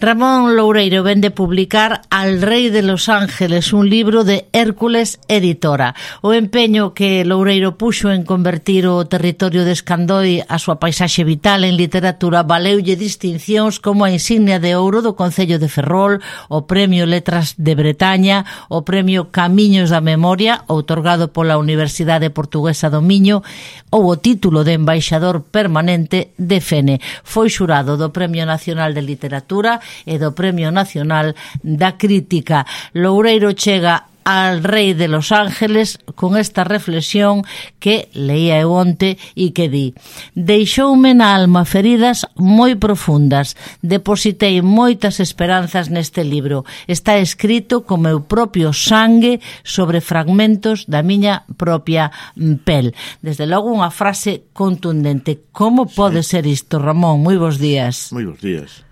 Ramón Loureiro vende publicar Al Rei de los Ángeles, un libro de Hércules Editora. O empeño que Loureiro puxo en convertir o territorio de Escandoi a súa paisaxe vital en literatura valeulle distincións como a insignia de ouro do Concello de Ferrol, o Premio Letras de Bretaña, o Premio Camiños da Memoria, outorgado pola Universidade Portuguesa do Miño, ou o título de embaixador permanente de Fene. Foi xurado do Premio Nacional de Literatura e do Premio Nacional da Crítica. Loureiro chega al Rei de los Ángeles con esta reflexión que leía eu onte e que di: deixoume na alma feridas moi profundas, depositei moitas esperanzas neste libro, está escrito co meu propio sangue sobre fragmentos da miña propia pel. Desde logo unha frase contundente. Como pode ser isto, Ramón? Moi bons días. Moi bons días.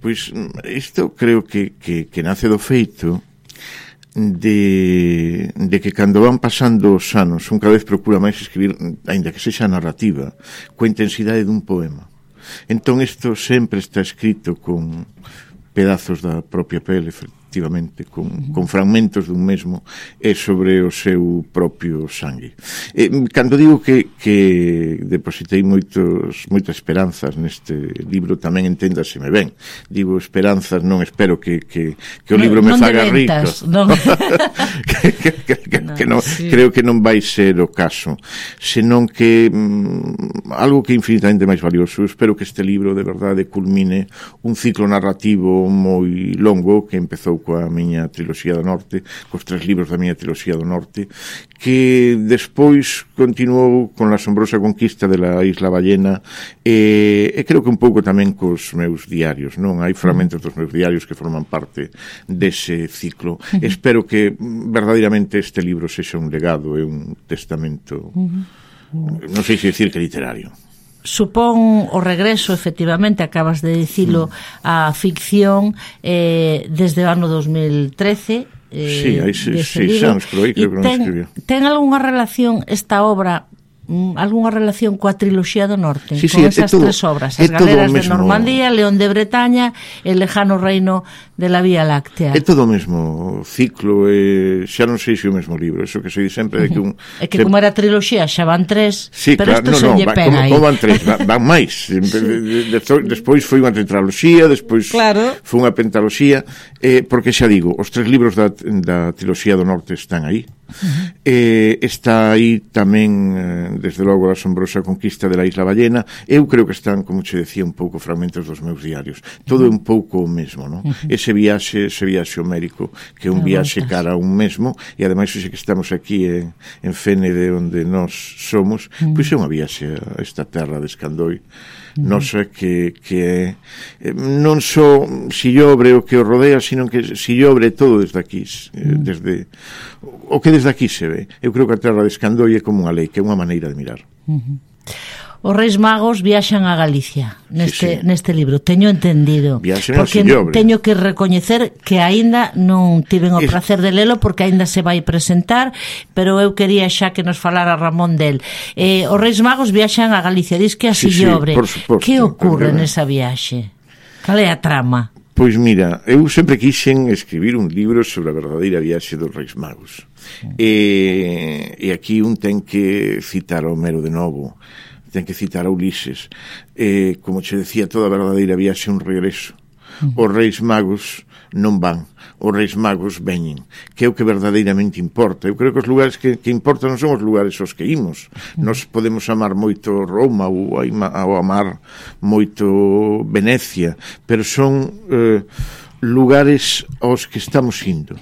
Pois isto creo que nace do feito de que cando van pasando os anos un cada vez procura máis escribir, aínda que sexa narrativa, coa intensidade dun poema. Entón isto sempre está escrito con pedazos da propia pele, efectivamente, con fragmentos dun mesmo e sobre o seu propio sangue. Cando digo que depositei moitas esperanzas neste libro, tamén enténdaseme ben. Digo esperanzas, non espero que o libro me faga rico. Non. Creo que non vai ser o caso, senón que algo que é infinitamente máis valioso. Espero que este libro de verdade culmine un ciclo narrativo moi longo que empezou coa miña triloxía do norte, cos 3 libros da miña triloxía do norte, que despois continuou con La asombrosa conquista de la Isla Ballena e creo que un pouco tamén cos meus diarios, non? Hai fragmentos dos meus diarios que forman parte dese ciclo. Espero que verdadeiramente este libro sexa un legado e un testamento, non sei se dicir que literario. Supón o regreso, efectivamente, acabas de dicilo, a ficción desde o ano 2013. Sí, hai 6 anos, pero aí creo que non escribió. Ten algunha relación esta obra, algunha relación coa triloxía do norte, sí, con esas 3 obras, As Galeras de Normandía, León de Bretaña e El lejano reino de la Vía Láctea? É todo o mesmo ciclo, xa non sei se o mesmo libro, eso que se di sempre de que un... É que como era triloxía xa van 3, sí, pero claro, isto se lle pega aí. Como van 3, van máis. Despois foi unha tetraloxía, despois foi unha pentaloxía, porque xa digo, os 3 libros da triloxía do norte están aí. Está aí tamén desde logo a asombrosa conquista de la Isla Ballena. Eu creo que están, como che decía, un pouco fragmentos dos meus diarios. Todo é un pouco o mesmo, non? Ese viaxe homérico, que é un viaxe cara a un mesmo, e ademais hoxe que estamos aquí en Fene, de onde nós somos, pois é unha viaxe a esta terra de Escandoi, nosa que é non só Sillobre o que o rodea, sino que Sillobre todo desde aquí, desde o que desde aquí se ve. Eu creo que a terra de Escandoi é como unha lei, que é unha maneira de mirar. Os Reis Magos viaxan a Galicia neste libro, teño entendido, porque teño que recoñecer que aínda non tiven o placer de lelo, porque aínda se vai presentar, pero eu quería xa que nos falara Ramón del. Os Reis Magos viaxan a Galicia, dis que a Sillobre. Que ocorre nesa viaxe? Cal é a trama? Pois mira, eu sempre quixen escribir un libro sobre a verdadeira viaxe dos Reis Magos, e aquí un ten que citar a Homero de novo, ten que citar a Ulises, como che decía, toda a verdadeira viaxe é un regreso. Os Reis Magos non van, os Reis Magos veñen, que é o que verdadeiramente importa. Eu creo que os lugares que importan non son os lugares aos que imos. Nos podemos amar moito Roma ou amar moito Venecia, pero son lugares aos que estamos indo.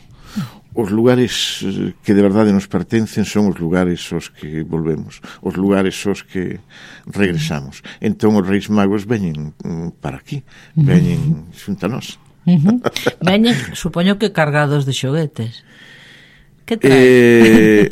Os lugares que de verdade nos pertencen son os lugares aos que volvemos, os lugares aos que regresamos. Entón os Reis Magos veñen para aquí, veñen xunta nós. Veñen, supoño que cargados de xoguetes. Que traen?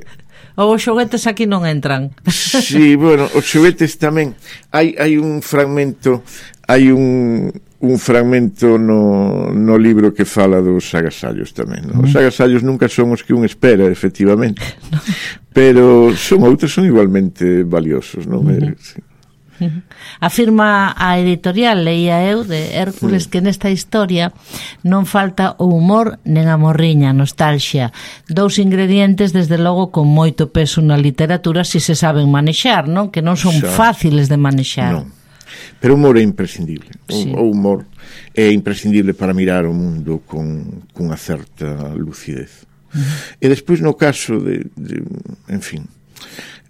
Ou os xoguetes aquí non entran? Sí, bueno, os xoguetes tamén. Hai un fragmento, un fragmento no libro que fala dos agasallos tamén, no? Os agasallos nunca son os que un espera, efectivamente, pero son outros, son igualmente valiosos, non? Sí. Afirma a editorial, leía eu, de Hércules, que nesta historia non falta o humor nen a morriña, nostalgia. Dous ingredientes, desde logo, con moito peso na literatura, se se saben manexar, non? Que non son fáciles de manexar. Non. Pero o humor é imprescindible. O humor é imprescindible para mirar o mundo con unha certa lucidez. E despois, no caso en fin,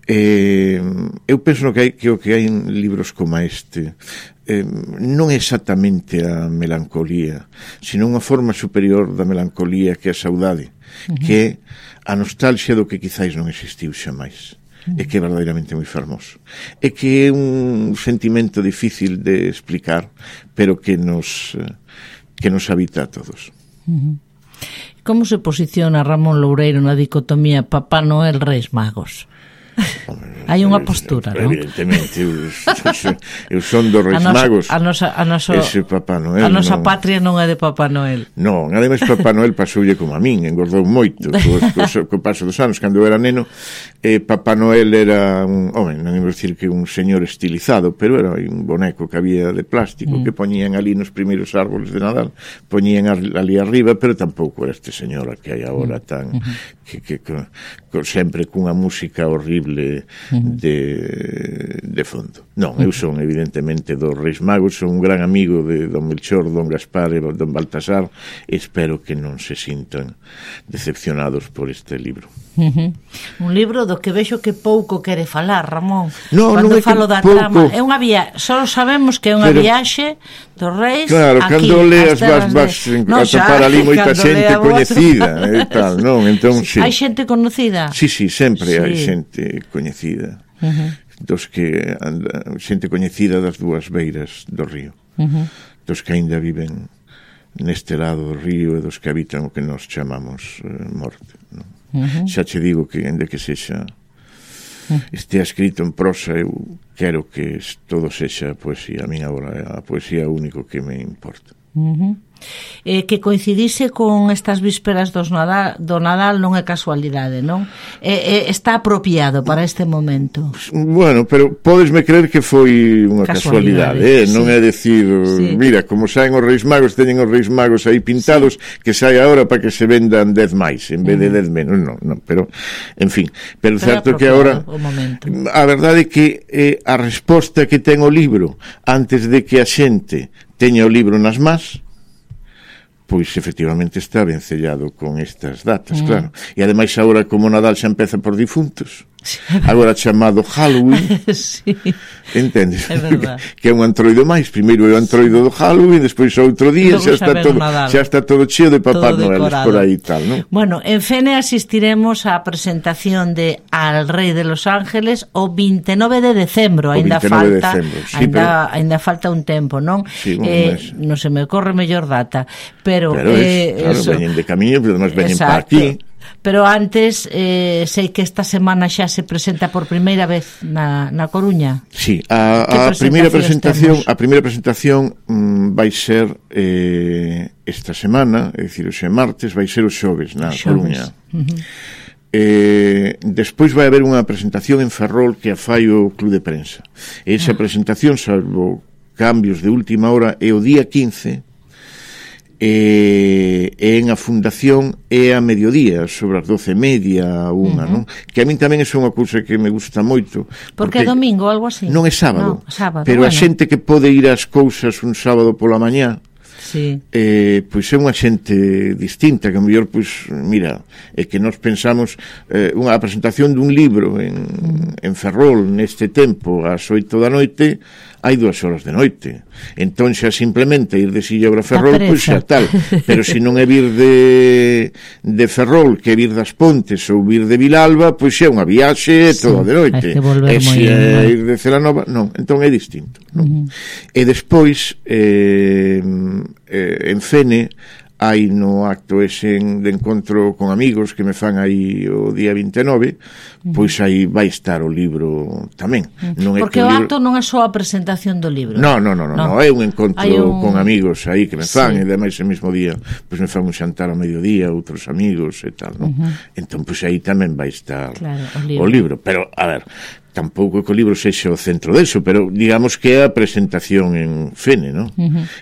eu penso que o que hai en libros como este non é exactamente a melancolía, sino unha forma superior da melancolía, que é a saudade, que é a nostalgia do que quizáis non existiu xamais, e que é verdadeiramente moi fermoso, e que é un sentimento difícil de explicar, pero que nos habita a todos. Como se posiciona Ramón Loureiro na dicotomía Papá Noel Reis Magos? Hai unha postura, non? Evidentemente, eu son dos Reis Magos. Ese Papá Noel. A nosa patria non é de Papá Noel. Non, ademais Papá Noel pasoulle como a min, engordou moito co paso dos anos. Cando eu era neno, Papá Noel era non imos dicir que un señor estilizado, pero era un boneco que había de plástico que poñían ali nos primeiros árboles de Nadal, poñían ali arriba, pero tampouco era este señor que hai agora tan que sempre cunha música horrible de fondo. Non, eu son evidentemente dos Reis Magos, son un gran amigo de don Melchor, don Gaspar e don Baltasar, e espero que non se sintan decepcionados por este libro. Un libro do que vexo que pouco quere falar, Ramón. Cando falo da trama, é unha só sabemos que é unha viaxe dos Reis. Claro, cando leas vas a topar ali moita xente coñecida e tal, non? Entón, sí. Hai xente conocida? Sí, sempre hai xente coñecida. Dos que xente coñecida das dúas beiras do río. Dos que aínda viven neste lado do río e dos que habitan o que nos chamamos morte, non? Xa che digo que, ainda que sexa estea escrito en prosa, eu quero que todo sexa poesía. A min agora a poesía é o único que me importa. Que coincidise con estas vísperas do Nadal non é casualidade, non? Está apropiado para este momento. Bueno, pero podesme creer que foi unha casualidade, non é decir, mira, como saen os Reis Magos, teñen os Reis Magos aí pintados, que sai agora para que se vendan 10 máis en vez de 10 menos, non, pero en fin, pero certo que agora a verdade é que a resposta que ten o libro antes de que a xente teña o libro nas más, pois efectivamente está vencellado con estas datas, claro. E ademais agora, como Nadal xa empeza por difuntos, agora chamado Halloween, entendes? Que é un antroido máis, primeiro é o antroido do Halloween, despois outro día xa está todo cheo de Papá Noel por aí e tal, non? Bueno, en Fene asistiremos á presentación de Al Rei de Los Ángeles o 29 de decembro, ainda falta un tempo, non? Non se me ocorre mellor data, pero claro, veñen de camiño, pero además veñen para aquí. Pero antes, sei que esta semana xa se presenta por primeira vez na Coruña. Sí, a primeira presentación vai ser esta semana, é dicir, hoxe martes, vai ser o xoves na Coruña. Despois vai haber unha presentación en Ferrol que a fai o Club de Prensa. Esa presentación, salvo cambios de última hora, é o día 15, en a fundación é a mediodía, sobre as 12:30 a 1, non? Que a min tamén é unha cousa que me gusta moito, porque é domingo ou algo así. Non é sábado, pero a xente que pode ir ás cousas un sábado pola mañá, pois é unha xente distinta, que a mellor, pois, mira, é que nós pensamos unha presentación dun libro en Ferrol neste tempo ás 8 da noite, hai 2 horas de noite, entón xa simplemente ir de Silla a Ferrol, pois xa tal, pero se non é vir de Ferrol, que é vir das Pontes ou vir de Vilalba, pois xa é unha viaxe toda de noite, e se é ir de Celanova, non, entón é distinto, non? E despois en Fene hai no acto ese de encontro con amigos que me fan aí o día 29, pois aí vai estar o libro tamén. Porque o acto non é só a presentación do libro. Non, é un encontro con amigos aí que me fan, e ademais ese mismo día pois me fan un xantar ao mediodía, outros amigos e tal, non? Entón pois aí tamén vai estar o libro. Pero, a ver, tampouco que o libro sexa o centro deso, pero digamos que é a presentación en Fene, non?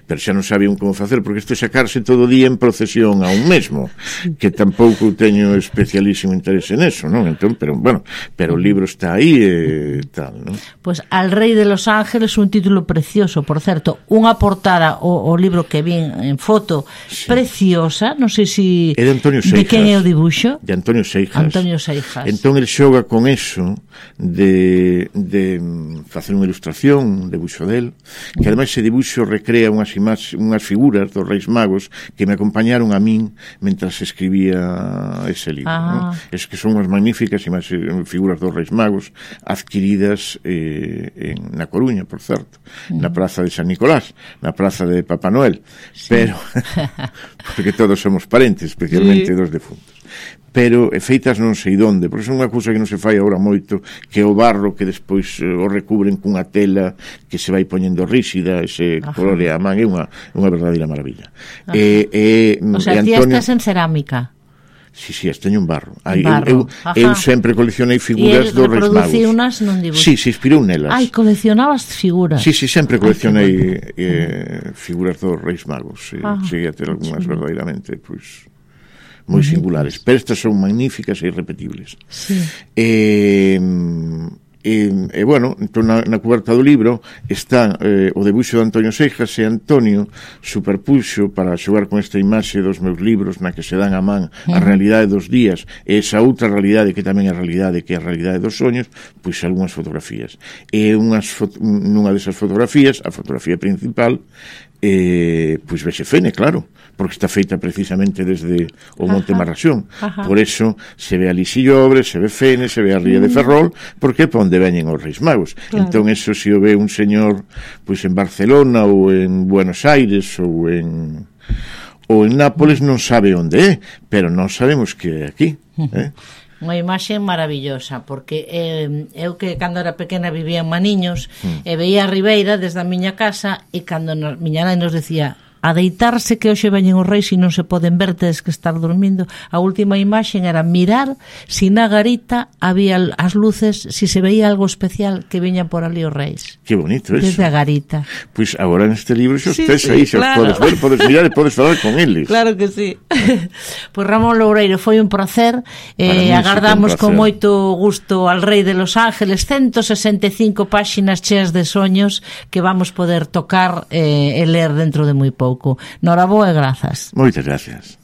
Pero xa non sabían como facer, porque isto é sacarse todo o día en procesión a un mesmo, que tampouco teño especialísimo interese neso, non? Entón, pero bueno, pero o libro está aí e tal, non? Pues Al Rei de los Ángeles, un título precioso, por certo, unha portada o libro que vin en foto, preciosa, non sei se é de Antonio Seijas. De quen é o dibuixo? De Antonio Seijas. Antonio Seijas. Entón el xoga con eso de facer unha ilustración, un debuxo del, que ademais ese dibuxo recrea unhas figuras dos Reis Magos que me acompañaron a min mentras escribía ese libro, ¿no? Es que son unhas magníficas figuras dos Reis Magos adquiridas na Coruña, por certo, na praza de San Nicolás, na praza de Papá Noel, pero porque todos somos parentes, especialmente dos defuntos, pero feitas non sei donde, porque son unha cousa que non se fai agora moito, que o barro que despois o recubren cunha tela que se vai poñendo ríxida, ese color e a man, é unha verdadeira maravilla. O sea, ti estás en cerámica. Sí, as teño en barro. Eu sempre coleccionei figuras dos Reis Magos. E unas non dibuixo. Sí, se inspirou nelas. Coleccionabas figuras. Sí, sempre coleccionei figuras dos Reis Magos. Cheguei a ter algunhas verdadeiramente, pois, moi singulares, pero estas son magníficas e irrepetibles. Sí. Bueno, entón na cuberta do libro está o debuxo de Antonio Seijas, e Antonio superpuxo para xogar con esta imaxe dos meus libros na que se dan a man a realidade dos días e esa outra realidade que tamén é a realidade, que é a realidade dos soños, pois algunhas fotografías. E nunha desas fotografías, a fotografía principal, pois vexe Fene, claro, porque está feita precisamente desde o Monte Marraxón. Por eso se ve a Lixillobre, se ve Fene, se ve a Ría de Ferrol, porque é para onde veñen os Reis Magos. Entón, eso se o ve un señor pois en Barcelona ou en Buenos Aires ou en Nápoles, non sabe onde é, pero nós sabemos que é aquí. Unha imaxe maravillosa, porque eu que cando era pequena vivía en Maniños e veía a Ribeira desde a miña casa, e cando miña nai nos decía a deitarse que hoxe veñen os reis e non se poden ver, tedes que estar dormindo, a última imaxe era mirar si na garita había as luces, si se veía algo especial que veñan por ali os reis. Que bonito eso. Desde a garita. Pois agora neste libro xa estés aí, xa claro. Podes ver, podes mirar e podes falar con eles. Claro que sí. Pois Ramón Loureiro, foi un placer, agardamos con moito gusto Al Rei de los Ángeles, 165 páxinas cheas de soños que vamos poder tocar e ler dentro de moi pouco. Noraboa e grazas. Moitas gracias.